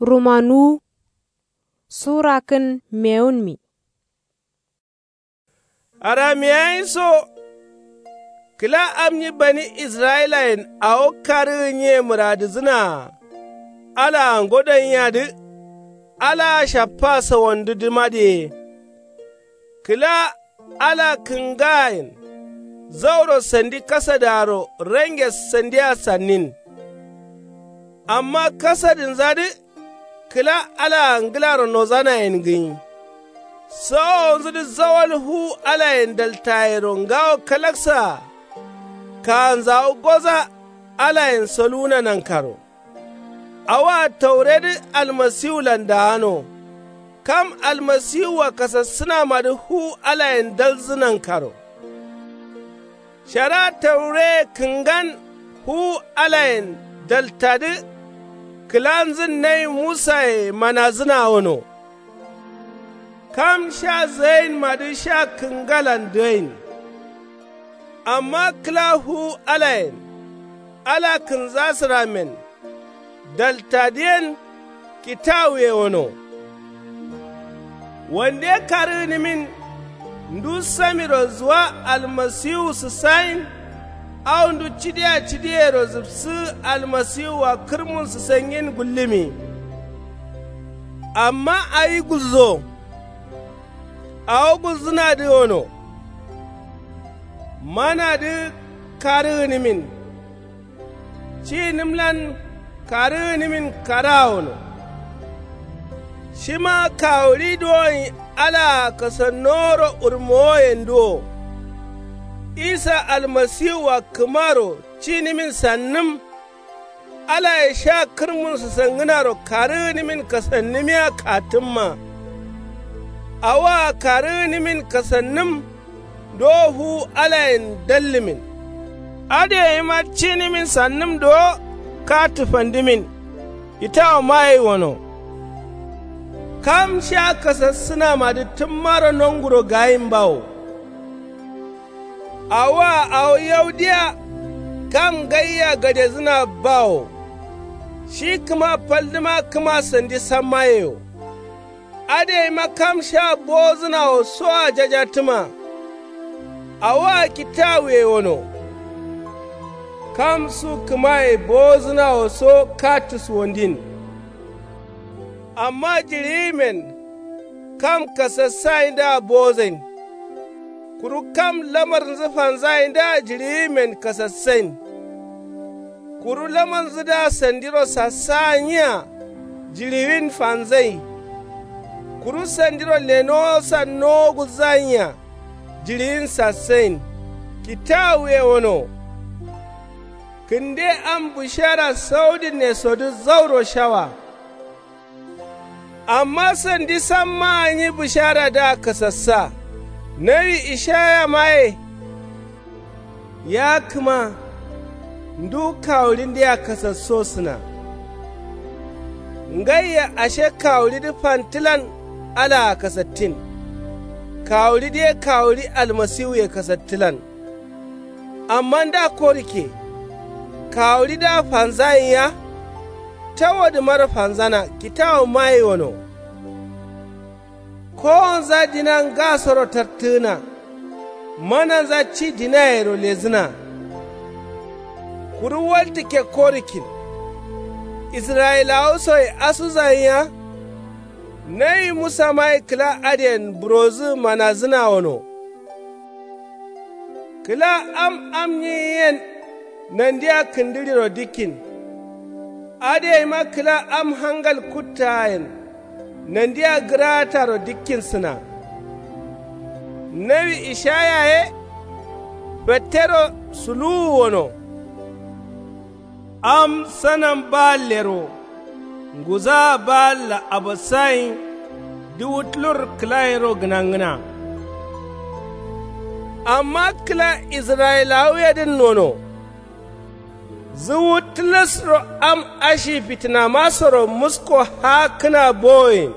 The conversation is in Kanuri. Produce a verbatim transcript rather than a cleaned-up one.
Rumanuwu. Sura kǝn mewunmi. Aramiyayin so kǝla am nyi bani israyilayen awo karǝgǝ nyiye mǝradǝzǝnaa alaa ngodon yadǝ. Alaa shappa sawandudǝmadǝye kǝla ala kǝngayen zauro sandi kasadǝaro range sandiya sannin. Amma kasadǝnzadǝ kǝla alaa ngǝlaro nozanayen gǝnyi. Sawowonzudǝ zawal fuwu alayen daltayero ngawo kalaksaa kaanzawu goza alayen soluwuna nankaro. Awoa tauredǝ almasiwulan daano. Kam almasiwua kasassǝnamadǝ fuwu alayen dalzǝ nankaro. Shara taureye kǝngan fuwu alayen daltadǝ kǝlanzǝn nawi musaye manazǝna wono. Kam sha zǝgainmadǝ sha kǝngalan dǝgain. Amma kǝla fuwu alayen ala kǝnzasǝramen daltadǝyen kitawuye wono. Wande karǝgǝnǝmin ndu samiro zuwa almasiwu sǝssayin. Au ndu cidiya cidiyero zǝbsǝ almasiwua kǝrmun sǝsangin gullǝmi. Amma awi gulzo awo gulzǝnadǝ wono. Manadǝ karǝgǝnǝmin cinǝmlan karǝgǝnǝmin karaa wono. Shima kawuɍi duwonyi alaa kasannoworo wurmowoyenduwo. Isa almasiwua kǝmaro cinǝmin sannǝm. Alaye sha kǝrmun sǝsangǝnaro karǝgǝnǝmin kasannǝmiya kattǝmma. Awoa karǝgǝnǝmin kasannǝm ndowo fuwu alayen dallǝmin. Adǝ gaima cinǝmin sannǝm dowo kattǝ fandǝmin. Kitawu magai wono. Kam sha kasassǝnamadǝ tǝmmaro nonguro gayin bawo. Awoa awo yaudiya kam ngaia gadezǝna bawo. Shi kǝma faldǝma kǝma sandi sammayeyo. Adǝ gaima kam sha bowozǝnawo soa jajattǝma. Awoa kitawuye wono. Kam su kǝmaye bowozǝnawo so kattǝ suwandin. Amma jiɍiyimen kam kasassayindǝa bowozain. Kuru kam lamarnzǝ fanzayindǝa jiɍiyimen kasassain. Kuru lamarnzǝdǝa sandiro sassaa nyiya jiɍiwin fanzai. Kuru sandiro lenowo sannowo gulzanyiya jiɍiwin sassain. Kitawuye wono. Kǝnde am bǝshara saudǝnesodǝ zauro shawa. Amma sandi sammaa nyi bǝsharadǝa kasassa. Nawi ishaya maye. Ya kǝma ndu kawuɍindǝa kasassosǝna. Ngaiya ashe kawuɍidǝ fantǝlan alaa kasattin. Kawuɍidǝ ye kawuɍi almasiwuye kasattǝlan. Amma nda korikke kawuɍidǝa fanzayin ya. Tawodǝmaro fanzana kitawu magai wono. Kowonza dina ngasoro tartǝgǝna. Mananza ci dinayero lezǝna. Kuru waltǝkke korikkin. Israyilawu soye asuzayin ya. Nawi musa magai kǝla adǝyen burodǝ manazǝna wono. Kǝla am am nyiyen nandia kǝndǝɍiro dikkin. Adǝ gaima kǝla am hangal kuttaayen nandia gǝraataro dikkinsǝna. Nawi ishaya ye fettero suluwu wono. Am sanam baallero nguzaa baalla abassayin. Duwu tulur kǝlayero gǝnangǝna. Amma kǝla israyilawuyedǝn nono. Zuwu tǝlǝsro am ashi fitǝnamasoro musko haakkǝna bowoyen.